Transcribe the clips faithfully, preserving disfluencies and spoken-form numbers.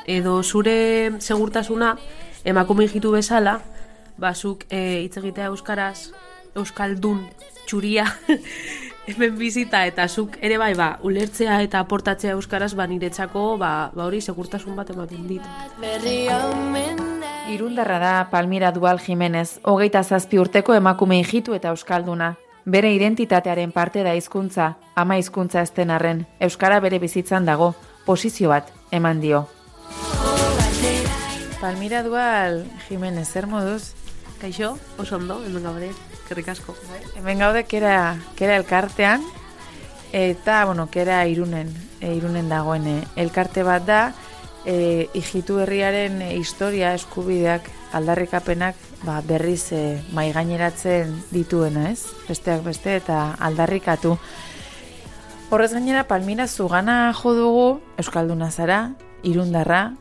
edo zure segurtasuna emakume hijitu bezala, bazuk e, hitz egitea euskaraz, euskaldun txuria hemen bizita eta zuk ere bai ba, ulertzea eta aportatzea euskaraz ba niretzako ba, ba hori segurtasun bat ematen dit. Irundarra da Palmira Dual Jimenez, hogeita zazpi urteko emakume hijitu eta euskalduna. Bere identitatearen parte da hizkuntza, ama hizkuntza ez den arren, euskara bere bizitzan dago, posizio bat eman dio. Palmira Dual Jimenez, zer moduz? Kaixo, oso ondo, hemen gaude, eskerrik asko. Hemen gaude kera, kera elkartean, eta, bueno, kera irunen, e, irunen dagoen e, elkarte bat da, e, hijitu herriaren e, historia eskubideak, aldarrikapenak, ba, berriz e, maigaineratzen dituena, ez? Besteak beste eta aldarrikatu. Horrez gainera, Palmira zugana jo dugu, euskalduna zara, irundarra,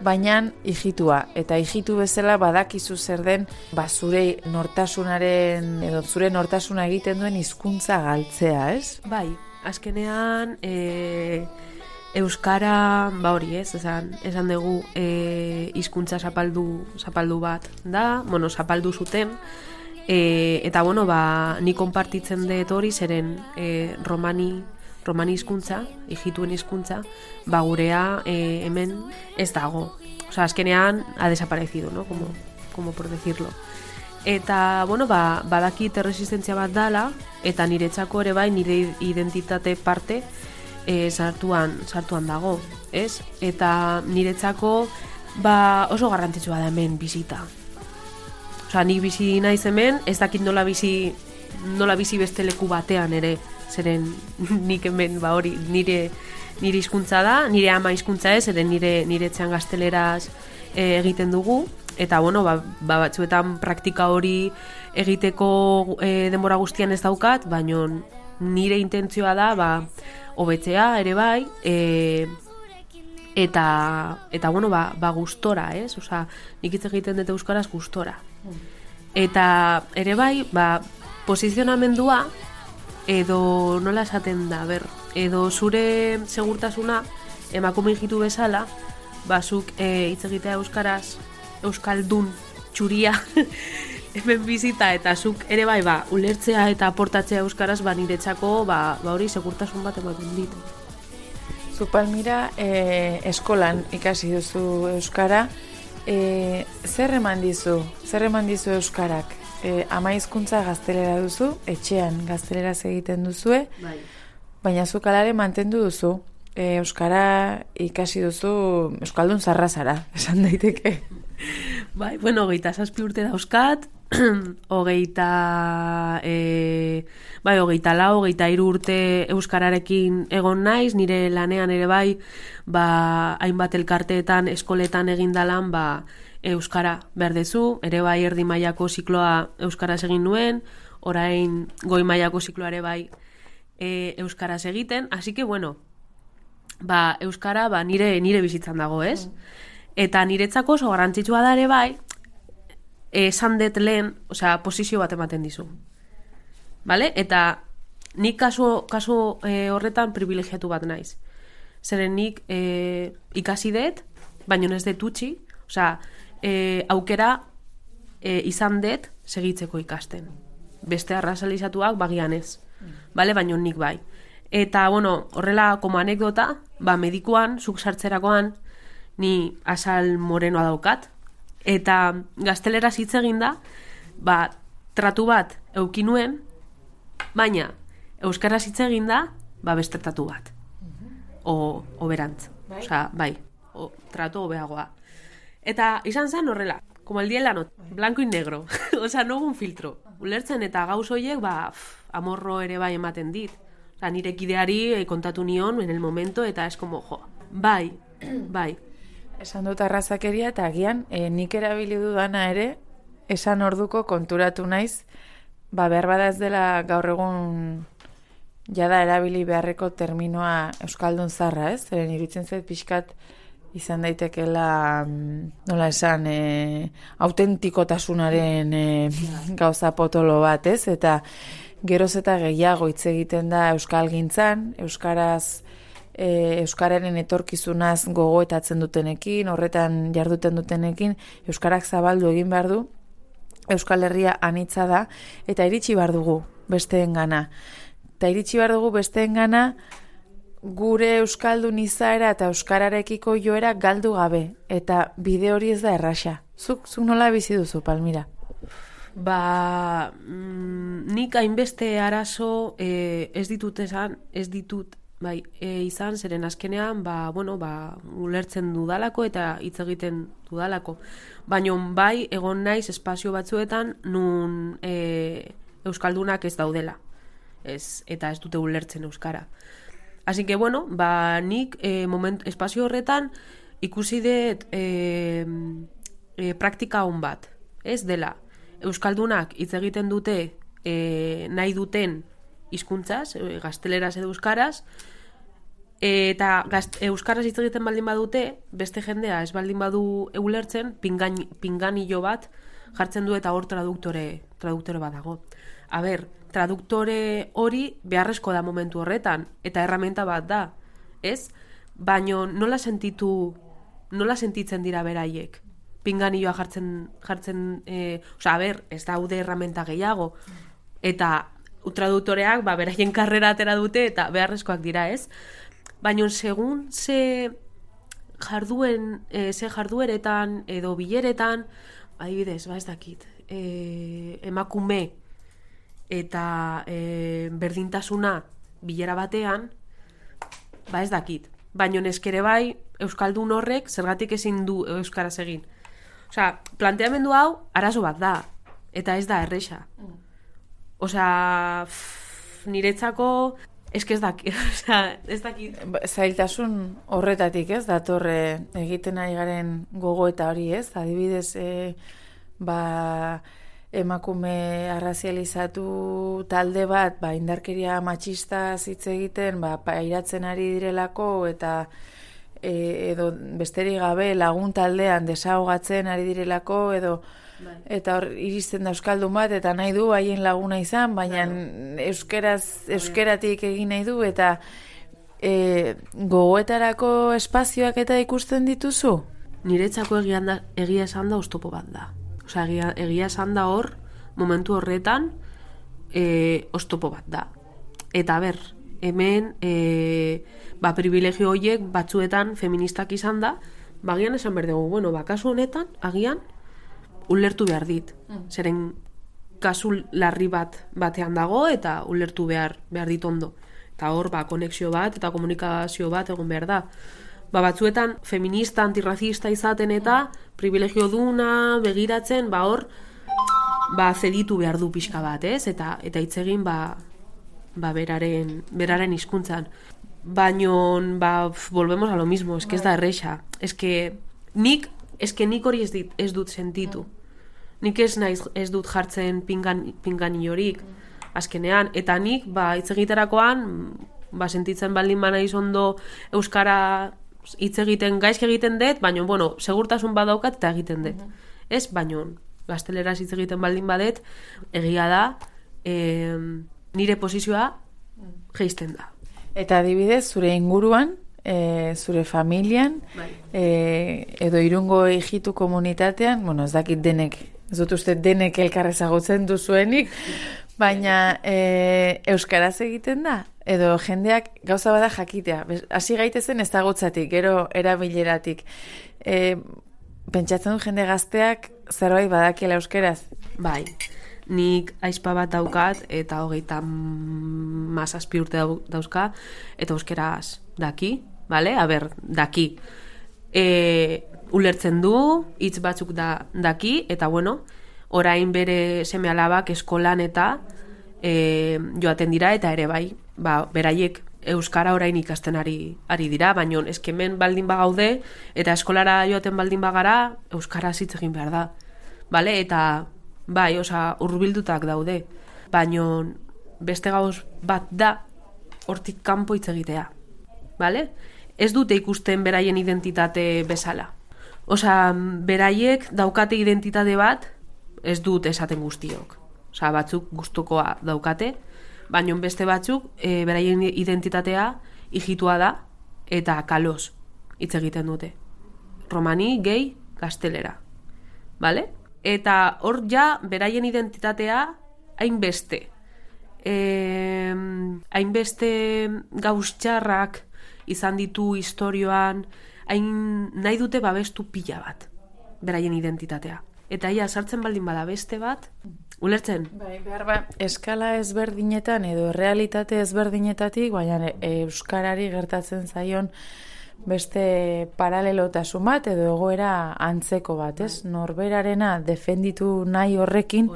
baina hijitua, eta hijitu bezala badakizu zer den ba, zure nortasunaren, edo zure nortasuna egiten duen hizkuntza galtzea, ez? Bai, azkenean e, euskara, ba hori ez, esan, esan dugu e, hizkuntza zapaldu, zapaldu bat da, bueno, zapaldu zuten, e, eta bueno, ba, ni konpartitzen dut hori zeren e, romani, romani hizkuntza, hijituen hizkuntza, ba gurea e, hemen ez dago. O sea, azkenean ha desaparecido, ¿no? Como, como por decirlo. Eta, bueno, ba, badakit erresistentzia bat dala, eta niretzako ere bai nire identitate parte e, sartuan, sartuan dago, ez? Eta niretzako ba, oso garrantzitsua da hemen bizita. O sea, nik bizi naiz hemen, ez dakit nola bizi, nola bizi beste leku batean ere, zeren nik hemen ba hori nire nire hizkuntza da, nire ama hizkuntza ez, ere nire nire etxean gazteleraz e, egiten dugu, eta bueno, ba, ba batzuetan praktika hori egiteko e, denbora guztian ez daukat, baina nire intentzioa da ba hobetzea ere bai, e, eta eta bueno, ba, ba gustora, ez? Osea, nik hitz egiten dut euskaraz gustora. Eta ere bai, ba posizionamendua edo nola esaten da, ber, edo zure segurtasuna emakume hijitu bezala, bazuk e, hitz egitea euskaraz, euskaldun txuria hemen bizita eta zuk ere bai ba, ulertzea eta aportatzea euskaraz ba niretzako ba, ba hori segurtasun bat ematen dit. Zu Palmira e, eskolan ikasi duzu euskara, e, zer eman dizu, zer eman dizu euskarak? E, ama hizkuntza gaztelera duzu, etxean gazteleraz egiten duzue, bai. Baina zuk alare mantendu duzu, e, euskara ikasi duzu euskaldun zarra zara, esan daiteke. Bai, bueno, hogeita zazpi urte dauzkat, hogeita, e, bai, hogeita lau, hogeita hiru urte euskararekin egon naiz, nire lanean ere bai, ba, hainbat elkarteetan, eskoletan egindalan, ba, euskara behar dezu, ere bai erdi mailako zikloa euskaraz egin nuen, orain goi mailako zikloa ere bai e, euskaraz egiten, así que bueno, ba, euskara ba, nire, nire bizitzan dago, ez? Eta niretzako oso garrantzitsua da ere bai, esan dut lehen, osea, posizio bat ematen dizu. Vale? Eta nik kasu, kasu e, horretan privilegiatu bat naiz. Zeren nik e, ikasi dut, baino ez dut utzi, osea, e, aukera e, izan dut segitzeko ikasten. Beste arrazalizatuak bagian ez. Vale? Baino nik bai. Eta, bueno, horrela, como anekdota, ba, medikuan, zuk sartzerakoan, ni azal morenoa daukat, eta gazteleraz hitz egin da, ba, tratu bat euki nuen, baina euskaraz hitz egin da, ba, beste tratu bat. O, o berantz. Bai? Osea, bai, o, tratu hobeagoa. Eta izan zen horrela, como el día en la noche, blanco y negro. Osea, no un filtro. Ulertzen eta gauz horiek, ba, pff, amorro ere bai ematen dit. Osea, nire kideari kontatu nion en el momento, eta es como, jo, bai, bai. Esan dut arrazakeria eta agian e, nik erabili dudana ere, esan orduko konturatu naiz, ba behar bada ez dela gaur egun jada erabili beharreko terminoa euskaldun zarra, ez? Zeren iruditzen zait pixkat izan daitekela, nola esan, e, autentikotasunaren e, gauza potolo bat, ez? Eta geroz eta gehiago hitz egiten da euskalgintzan, euskaraz e, euskararen etorkizunaz gogoetatzen dutenekin, horretan jarduten dutenekin, euskarak zabaldu egin behar du, Euskal Herria anitza da, eta iritsi behar dugu besteengana. Eta iritsi behar dugu besteengana gure euskaldun izaera eta euskararekiko joera galdu gabe, eta bide hori ez da erraxa. Zuk, zuk nola bizi duzu, Palmira? Ba, mm, nik hainbeste arazo eh, ez ditut esan, ez ditut bai, e, izan, zeren azkenean, ba, bueno, ba, ulertzen dudalako eta hitz egiten dudalako. Baina bai, egon naiz espazio batzuetan nun e, euskaldunak ez daudela. Ez, eta ez dute ulertzen euskara. Así que, bueno, ba, nik e, moment, espazio horretan ikusi dut e, e, praktika hon bat. Ez dela, euskaldunak hitz egiten dute e, nahi duten hizkuntzaz, e, gazteleraz edo euskaraz, eta gazt, euskaraz hitz egiten baldin badute, beste jendea ez baldin badu ulertzen, pingan, pinganillo bat jartzen du eta hor traduktore, traduktore bat dago. A ber, traduktore hori beharrezko da momentu horretan, eta herramienta bat da, ez? Baina nola sentitu, nola sentitzen dira beraiek? Pinganilloa jartzen, jartzen e, osea, a ber, ez daude herramienta gehiago, eta traduktoreak ba, beraien karrera atera dute eta beharrezkoak dira, ez? Baina segun ze jarduen, e, ze jardueretan edo bileretan, adibidez, ba ez dakit, e, emakume eta e, berdintasuna bilera batean, ba ez dakit. Baina eskere bai, euskaldun horrek zergatik ezin du euskaraz egin. Osea, planteamendu hau arazo bat da, eta ez da erresa. Osea, pff, niretzako eske ez dakit, osea, ez dakit. Zailtasun horretatik, ez, datorre egiten ari garen gogoeta hori, ez? Adibidez, e, ba, emakume arrazializatu talde bat, ba, indarkeria matxista hitz egiten, ba, pairatzen ari direlako, eta e, edo besterik gabe lagun taldean desahogatzen ari direlako, edo bai. Eta hor iristen da euskaldun bat eta nahi du haien laguna izan, baina bai. euskeraz, euskeratik egin nahi du, eta e, gogoetarako espazioak eta ikusten dituzu? Niretzako egia, da, egia esan da oztopo bat da. Osea, egia, egia esan da hor, momentu horretan, e, oztopo bat da. Eta ber, hemen e, ba, privilegio horiek batzuetan feministak izan da, bagian esan behar dugu, bueno, ba, kasu honetan, agian, ulertu behar dit. Mm. Zeren kasu larri bat batean dago eta ulertu behar, behar dit ondo. Eta hor, ba, konexio bat eta komunikazio bat egon behar da. Ba, batzuetan feminista, antirrazista izaten eta privilegio duna, begiratzen, ba, hor, ba, zeditu behar du pixka bat, ez? Eta, eta hitz egin, ba, ba, beraren, beraren hizkuntzan. Baino, ba, volvemos a lo mismo, es que ez da erresa. Es que nik, es que nik hori ez, dit, ez dut sentitu. Nik ez naiz ez dut jartzen pingan, pinganillorik azkenean, eta nik ba hitz egiterakoan ba sentitzen baldin banaiz ondo euskara hitz egiten gaizki egiten dut, baina bueno, segurtasun badaukat eta egiten dut. Uh-huh. Ez, baina gazteleraz hitz egiten baldin badet, egia da e, nire posizioa jeisten da. Eta adibidez, zure inguruan, e, zure familian, bai. e, edo Irungo hijitu komunitatean, bueno, ez dakit denek, ez dut uste denek elkar ezagutzen duzuenik, baina e, euskaraz egiten da? Edo jendeak gauza bada jakitea, hasi gaitezen ezagutzatik, gero erabileratik. E, pentsatzen du jende gazteak zerbait badakiela euskaraz? Bai, nik aizpa bat daukat eta hogeita mazazpi urte dauzka, eta euskaraz daki, vale? A ber, daki. E, ulertzen du, hitz batzuk da, daki, eta bueno, orain bere seme alabak eskolan eta e, joaten dira, eta ere bai, ba, beraiek euskara orain ikasten ari, ari dira, baina eskemen baldin bagaude, eta eskolara joaten baldin bagara, euskara hitz egin behar da. Vale? Eta bai, oza, hurbildutak daude, baina beste gauz bat da hortik kanpo hitz egitea. Vale? Ez dute ikusten beraien identitate bezala. Osa, beraiek daukate identitate bat, ez dut esaten guztiok. Osa, batzuk gustukoa daukate, baina beste batzuk, e, beraien identitatea hijitua da, eta kaloz hitz egiten dute. Romani, gehi, gaztelera. Vale? Eta hor ja, beraien identitatea hainbeste. E, hainbeste gauz txarrak izan ditu historioan, hain nahi dute babestu pila bat, beraien identitatea. Eta ia sartzen baldin bada beste bat, ulertzen? Bai, behar ba, eskala ezberdinetan edo realitate ezberdinetatik, baina euskarari gertatzen zaion beste paralelotasun bat edo egoera antzeko bat, ez? Norberarena defenditu nahi horrekin,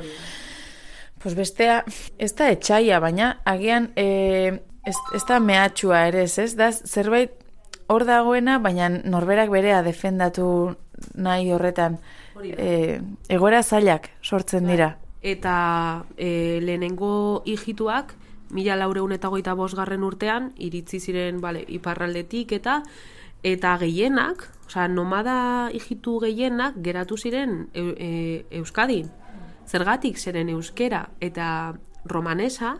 pues bestea, ez da etxaia, baina agian e, ez, ez da mehatxua ere, ez? Da zerbait hor dagoena, baina norberak berea defendatu nahi horretan e, egoera zailak sortzen dira. Eta e, lehenengo hijituak, mila laureun eta goita bosgarren urtean, iritzi ziren bale, iparraldetik eta eta gehienak, osea, nomada hijitu gehienak geratu ziren e, e, Euskadin. Zergatik zeren euskera eta romanesa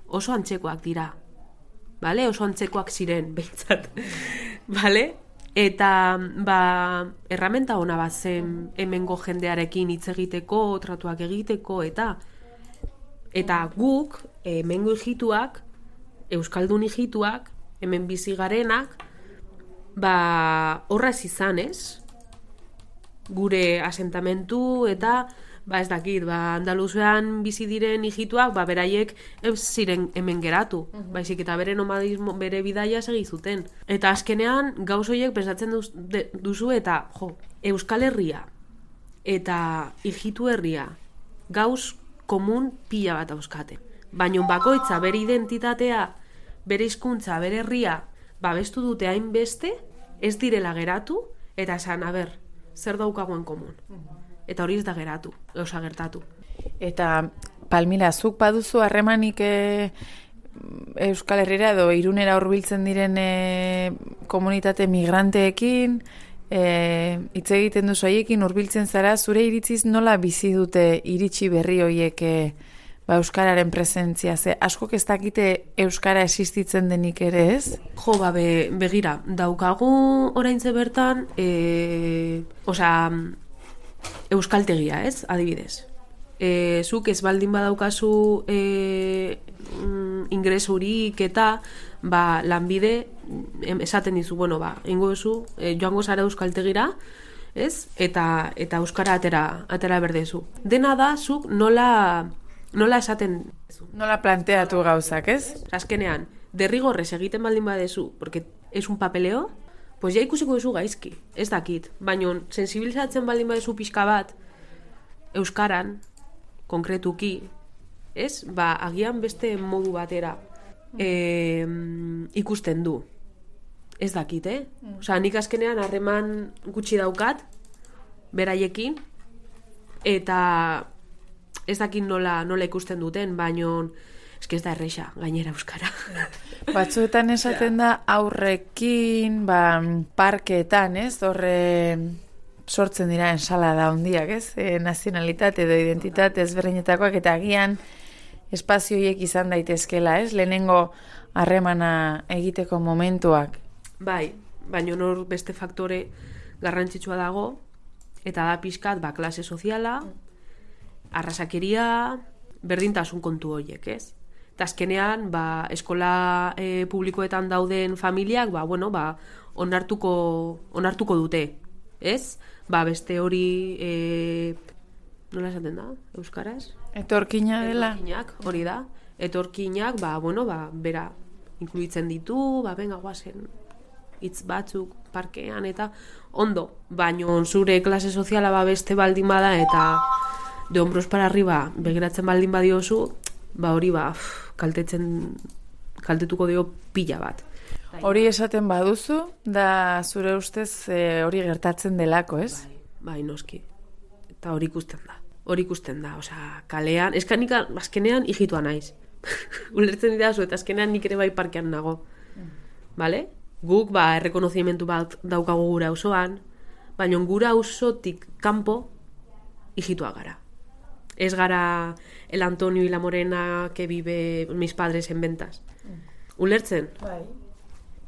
oso antzekoak dira. Vale? Oso antzekoak ziren, behintzat. Vale? Eta ba, erramenta ona bat zen hemengo jendearekin hitz egiteko, tratuak egiteko, eta eta guk, hemengo hijituak, euskaldun hijituak, hemen bizi garenak, ba, horraz izan, ez? Gure asentamentu eta ba ez dakit, ba Andaluzian bizi diren hijituak, ba beraiek ez ziren hemen geratu, uh-huh. Baizik eta bere nomadismo, bere bidaia segi zuten. Eta azkenean gauz horiek pensatzen duz, de, duzu eta jo, Euskal Herria eta hijitu herria gauz komun pila bat dauzkate. Baina bakoitza bere identitatea, bere hizkuntza, bere herria babestu dute hainbeste, ez direla geratu eta esan, a ber, zer daukagoen komun. Uh-huh. Eta hori ez da geratu, osa gertatu. Eta, Palmira, zuk baduzu harremanik e, Euskal Herrira edo Irunera hurbiltzen diren e, komunitate migranteekin, hitz e, egiten duzu haiekin hurbiltzen zara, zure iritziz nola bizi dute iritsi berri hoiek e, ba, Euskararen presentzia? Ze askok ez dakite Euskara existitzen denik ere, ez? Jo, ba, be, begira, daukagu oraintze bertan, e, osa, euskaltegia, ez, adibidez. E, zuk ez baldin badaukazu e, ingresurik eta ba, lanbide esaten dizu, bueno, ba, ingo duzu, e, joango zara euskaltegira, ez, eta, eta euskara atera, atera berdezu. Dena da, zuk nola, nola esaten... Nola planteatu gauzak, ez? Azkenean, derrigorrez egiten baldin badezu, porque es un papeleo, pues ja ikusiko duzu gaizki, ez dakit. Baina sensibilizatzen baldin badezu pixka bat, euskaran, konkretuki, ez? Ba, agian beste modu batera e, ikusten du. Ez dakit, eh? Osa, nik azkenean harreman gutxi daukat, beraiekin, eta ez dakit nola, nola ikusten duten, baina eske ez da erresa, gainera euskara. Batzuetan esaten da aurrekin, ba, parkeetan, ez? Horre sortzen dira ensalada handiak, ez? E, nazionalitate edo identitate ezberdinetakoak eta agian espazioiek izan daitezkela, ez? Lehenengo harremana egiteko momentuak. Bai, baina nor beste faktore garrantzitsua dago, eta da pixkat, ba, klase soziala, arrasakeria, berdintasun kontu horiek, ez? Eta azkenean, ba, eskola e, publikoetan dauden familiak, ba, bueno, ba, onartuko, onartuko dute, ez? Ba, beste hori, e, nola esaten da, euskaraz? Etorkina dela. Etorkinak, hori da. Etorkinak, ba, bueno, ba, bera, inkluitzen ditu, ba, benga, guazen, hitz batzuk, parkean, eta ondo, baino zure klase soziala ba beste baldin bada, eta de hombros para arriba begiratzen baldin badiozu, ba hori ba, kaltetzen, kaltetuko dio pila bat. Hori esaten baduzu, da zure ustez e, hori gertatzen delako, ez? Bai, bai, noski. Eta hori ikusten da. Hori ikusten da, osea, kalean, eskanik azkenean hijitua naiz. Ulertzen didazu, eta azkenean nik ere bai parkean nago. Vale? Guk, ba, errekonozimentu bat daukagu gura auzoan, baina gura auzotik kanpo hijitua gara. Ez gara el Antonio y la Morena que vive mis padres en Ventas. Ulertzen? Bai.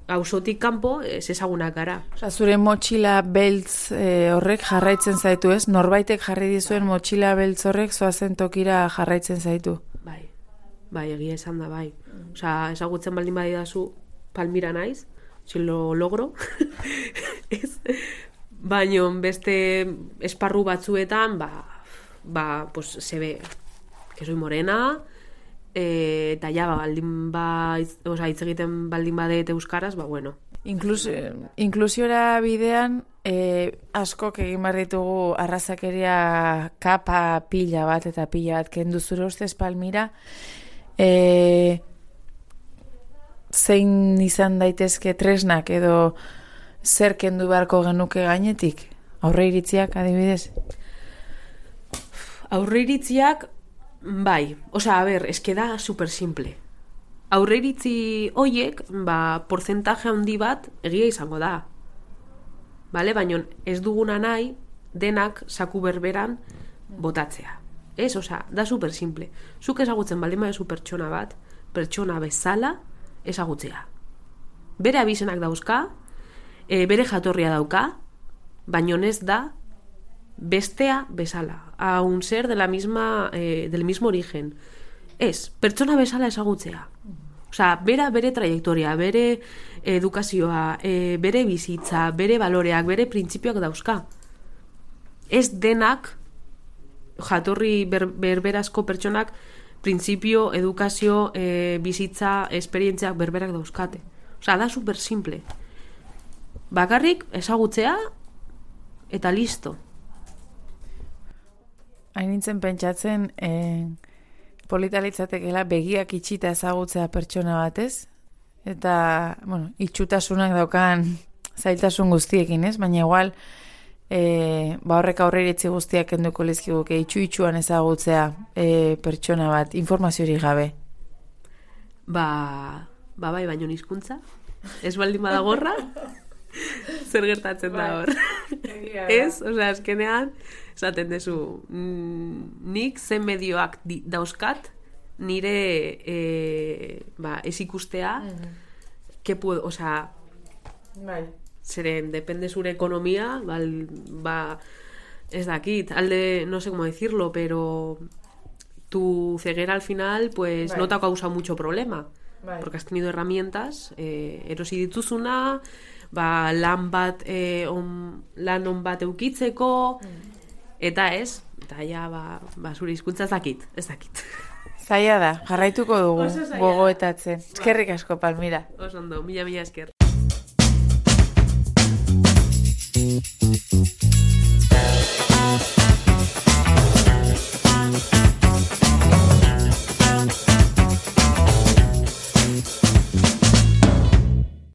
auzotik kanpo ez ezagunak gara. Osa, zure motxila beltz e, horrek jarraitzen zaitu, ez? Norbaitek jarri dizuen motxila beltz horrek zoazen tokira jarraitzen zaitu. Bai, bai, egia esan da, bai. Osa, ezagutzen baldin badidazu Palmira naiz, si lo logro, ez? Baina beste esparru batzuetan, ba, ba, pues, se ve que soy morena, e, eta ja, ba, baldin ba, o sea, hitz egiten baldin badet euskaraz, ba, bueno. Inklus, inklusiora bidean, e, askok egin behar ditugu arrazakeria kapa pila bat eta pila bat kendu zure ustez Palmira, e, zein izan daitezke tresnak edo zer kendu beharko genuke gainetik? Aurre iritziak adibidez? Aurre iritziak, bai. Osea, a ber, eske da super simple. Aurre iritzi hoiek, ba, porcentaje handi bat egia izango da. Bale? Baina ez duguna nahi denak saku berberan botatzea. Ez, osea, da super simple. Zuk ezagutzen baldin baduzu pertsona bat, pertsona bezala ezagutzea. Bere abizenak dauzka, e, bere jatorria dauka, baino ez da bestea bezala, a un ser de la misma, eh, del mismo origen. Ez, pertsona bezala ezagutzea. Osea, bera bere trayektoria, bere edukazioa, e, bere bizitza, bere baloreak, bere printzipioak dauzka. Ez denak jatorri ber, berberazko pertsonak printzipio, edukazio, e, bizitza, esperientziak berberak dauzkate. Osea, da super simple. Bakarrik ezagutzea eta listo. Hain nintzen pentsatzen, eh, polita litzatekeela begiak itxita ezagutzea pertsona batez, eta, bueno, itxutasunak daukan zailtasun guztiekin, ez? Baina igual, eh, ba horrek aurreiritzi guztiak kenduko lizkiguke, itxu-itxuan ezagutzea eh, pertsona bat, informaziorik gabe. Ba, ba bai, baino hizkuntza. Ez baldin badagorra, zer gertatzen da hor. Ez, osea, azkenean, esaten dezu, mm, nik zen medioak di, dauzkat, nire e, ba, ez ikustea, mm-hmm. que puedo, osea, bai. Zeren, depende zure ekonomia, bal, ba, ez dakit, alde, no sé cómo decirlo, pero tu ceguera al final, pues, bai. No te ha causado mucho problema. Bai. Porque has tenido herramientas, eh, erosi dituzuna, ba, lan bat, eh, on, lan on bat eukitzeko, mm. eta ez, eta ja, ba, ba zure hizkuntza ez dakit, ez dakit. Zaila da, jarraituko dugu, gogoetatzen. Eskerrik asko, Palmira. Oso ondo, mila mila esker. Thank you.